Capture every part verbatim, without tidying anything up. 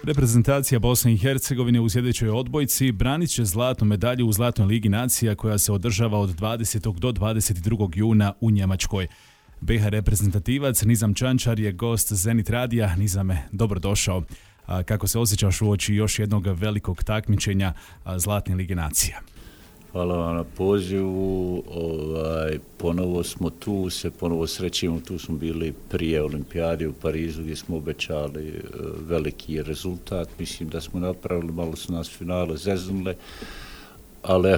Reprezentacija Bosne i Hercegovine u sljedećoj odbojci branit će zlatnu medalju u Zlatnoj ligi nacija koja se održava od dvadesetog do dvadeset drugog juna u Njemačkoj. be ha reprezentativac Nizam Čančar je gost Zenit radija. Nizame, dobrodošao. A kako se osjećaš uoči još jednog velikog takmičenja Zlatne lige nacija? Hvala vam na pozivu. Ovaj, ponovo smo tu, se ponovo srećemo. Tu smo bili prije Olimpijade u Parizu gdje smo obećali veliki rezultat. Mislim da smo napravili, malo su nas finale zeznule, ali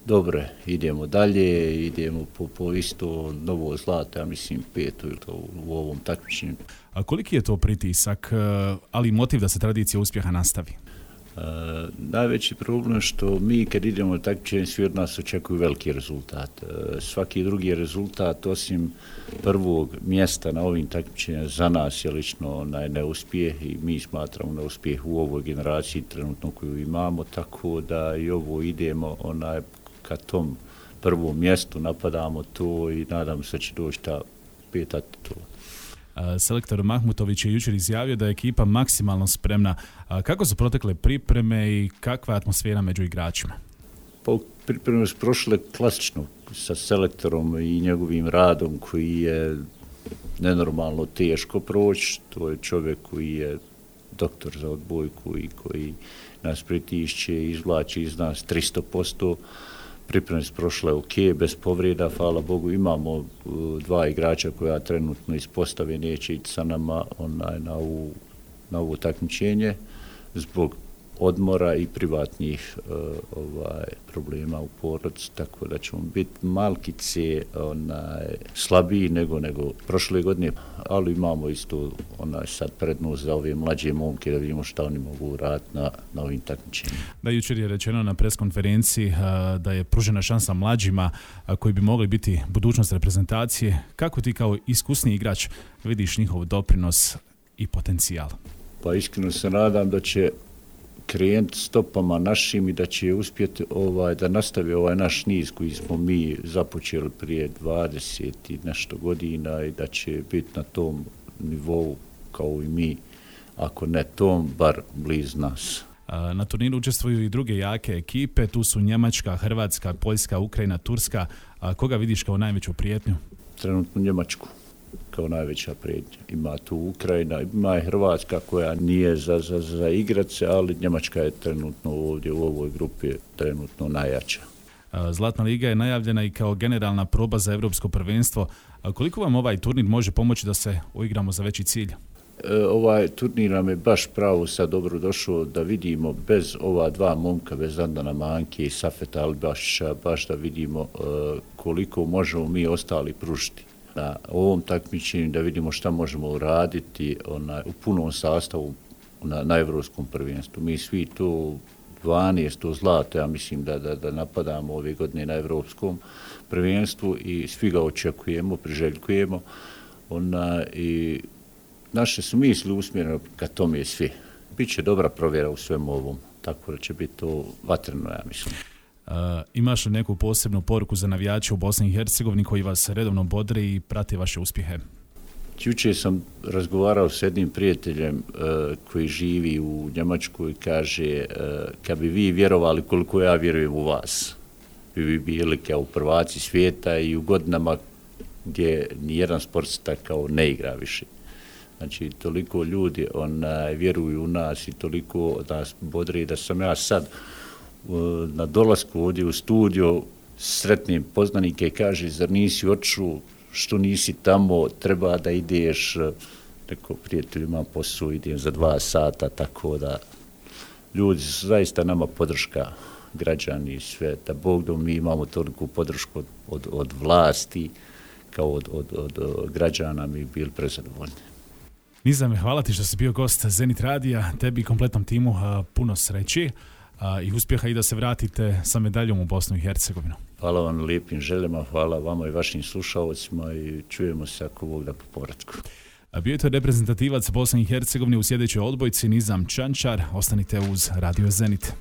dobro, idemo dalje, idemo po, po isto novo zlato, ja mislim peto ili to u ovom takmičenju. A koliki je to pritisak, ali i motiv da se tradicija uspjeha nastavi? Uh, najveći problem je što mi kad idemo na takmičenje svi od nas očekuju veliki rezultat. Uh, svaki drugi rezultat osim prvog mjesta na ovim takmičenjima za nas je lično onaj neuspjeh i mi smatramo neuspjeh u ovoj generaciji trenutno koju imamo, tako da i ovo idemo onaj ka tom prvom mjestu, napadamo to i nadam se da će doći ta peta titula. Selektor Mahmutović je jučer izjavio da je ekipa maksimalno spremna. Kako su protekle pripreme i kakva je atmosfera među igračima? Pa pripreme su prošle klasično sa selektorom i njegovim radom koji je nenormalno teško proći. To je čovjek koji je doktor za odbojku i koji nas pritišće i izvlači iz nas tristo posto. Pripreme su prošle ok, bez povreda, hvala Bogu. Imamo uh, dva igrača koja trenutno iz postave neće ići sa nama onaj, na, ovu, na ovo takmičenje zbog odmora i privatnih uh, ovaj, problema u porodici, tako da ćemo biti malkice onaj, slabiji nego, nego prošle godine, ali imamo isto onaj, sad prednost za ove mlađe momke da vidimo šta oni mogu raditi na, na ovim takmičenjima. Da, jučer je rečeno na preskonferenciji uh, da je pružena šansa mlađima uh, koji bi mogli biti budućnost reprezentacije. Kako ti kao iskusni igrač vidiš njihov doprinos i potencijal? Pa iskreno se nadam da će krenuti stopama našim i da će uspjeti ovaj, da nastavi ovaj naš niz koji smo mi započeli prije dvadeset i nešto godina i da će biti na tom nivou kao i mi, ako ne tom, bar blizu nas. Na turniru učestvuju i druge jake ekipe, tu su Njemačka, Hrvatska, Poljska, Ukrajina, Turska. A koga vidiš kao najveću prijetnju? Trenutno Njemačku kao najveća prijetnja. Ima tu Ukrajina, ima i Hrvatska koja nije za, za, za igrat se, ali Njemačka je trenutno ovdje u ovoj grupi trenutno najjača. Zlatna liga je najavljena i kao generalna proba za evropsko prvenstvo. A koliko vam ovaj turnir može pomoći da se uigramo za veći cilj? E, ovaj turnir nam je baš pravo sad dobro došao da vidimo bez ova dva momka, bez Andana Manke i Safeta Albašića, baš da vidimo e, koliko možemo mi ostali pružiti na ovom takmičenju, da vidimo šta možemo uraditi onaj, u punom sastavu na, na evropskom prvenstvu. Mi svi to dvanaest zlato, ja mislim da, da, da napadamo ove godine na evropskom prvenstvu i svi ga očekujemo, priželjkujemo. Ona, i naše su misli usmjerene ka tome svi. Biće dobra provjera u svemu ovom, tako da će biti to vatreno, ja mislim. Uh, imaš li neku posebnu poruku za navijače u Bosni i Hercegovini koji vas redovno bodre i prate vaše uspjehe? Jučer sam razgovarao s jednim prijateljem uh, koji živi u Njemačkoj i kaže uh, kad bi vi vjerovali koliko ja vjerujem u vas, vi bi bili kao prvaci svijeta i u godinama gdje nijedan sportista kao ne igra više. Znači, toliko ljudi onaj, vjeruju u nas i toliko nas bodre da sam ja sad na dolasku ovdje u studio sretnim poznanike i kaže, zar nisi otišao, što nisi tamo, treba da ideš, neko prijatelj imam posao, idem za dva sata, tako da ljudi su zaista nama podrška, građani i sve, da Bog da mi imamo toliku podršku od, od, od vlasti, kao od, od, od, od građana, mi bili prezadovoljni. Nizame, hvala ti što si bio gost Zenit radija, tebi i kompletnom timu puno sreći i uspjeha i da se vratite sa medaljom u Bosnu i Hercegovinu. Hvala vam na lijepim željama, hvala vama i vašim slušalcima i čujemo se ako Bog da po povratku. Bio je to reprezentativac Bosne i Hercegovine u sljedećoj odbojci Nizam Čančar. Ostanite uz Radio Zenit.